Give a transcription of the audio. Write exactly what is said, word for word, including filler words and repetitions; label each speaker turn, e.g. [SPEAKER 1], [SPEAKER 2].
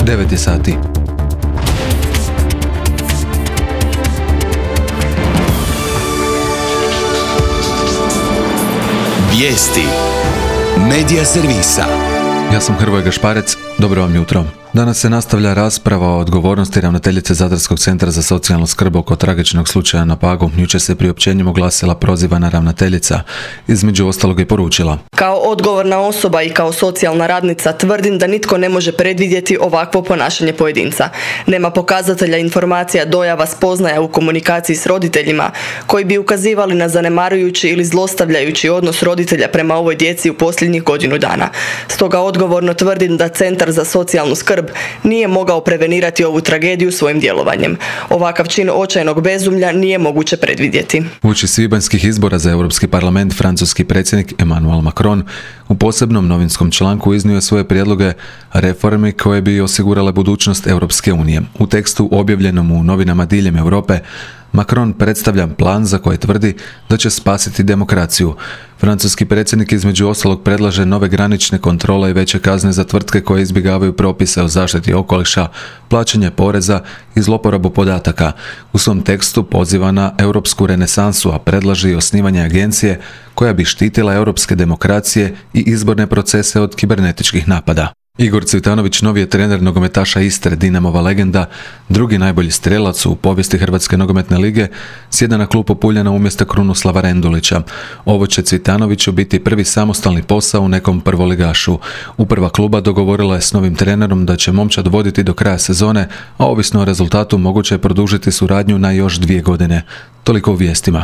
[SPEAKER 1] devet je sati.
[SPEAKER 2] Vijesti Medija servisa.
[SPEAKER 1] Ja sam Hrvoje Gašparec, dobro vam jutro. Danas se nastavlja rasprava o odgovornosti ravnateljice Zadarskog centra za socijalnu skrb oko tragičnog slučaja na Pagu. Jučer se priopćenjem oglasila prozivana ravnateljica. Između ostalog je poručila:
[SPEAKER 3] Kao odgovorna osoba i kao socijalna radnica tvrdim da nitko ne može predvidjeti ovakvo ponašanje pojedinca. Nema pokazatelja, informacija, dojava, spoznaja u komunikaciji s roditeljima koji bi ukazivali na zanemarujući ili zlostavljajući odnos roditelja prema ovoj djeci u posljednjih godinu dana. Stoga odgovorno tvrdim da Centar za socijalnu skrb nije mogao prevenirati ovu tragediju svojim djelovanjem. Ovakav čin očajnog bezumlja nije moguće predvidjeti.
[SPEAKER 1] Uoči svibanjskih izbora za Europski parlament, francuski predsjednik Emmanuel Macron u posebnom novinskom članku iznio svoje prijedloge reformi koje bi osigurale budućnost Europske unije. U tekstu objavljenom u novinama diljem Europe, Macron predstavlja plan za koji tvrdi da će spasiti demokraciju. Francuski predsjednik između ostalog predlaže nove granične kontrole i veće kazne za tvrtke koje izbjegavaju propise o zaštiti okoliša, plaćanje poreza i zloporabu podataka. U svom tekstu poziva na europsku renesansu, a predlaže i osnivanje agencije koja bi štitila europske demokracije i izborne procese od kibernetičkih napada. Igor Cvitanović, novi je trener nogometaša Istre, Dinamova legenda, drugi najbolji strelac u povijesti Hrvatske nogometne lige, sjeda na klupu Puljana umjesto Krunoslava Rendulića. Ovo će Cvitanoviću biti prvi samostalni posao u nekom prvoligašu. Uprava kluba dogovorila je s novim trenerom da će momčad voditi do kraja sezone, a ovisno o rezultatu moguće je produžiti suradnju na još dvije godine. Toliko u vijestima.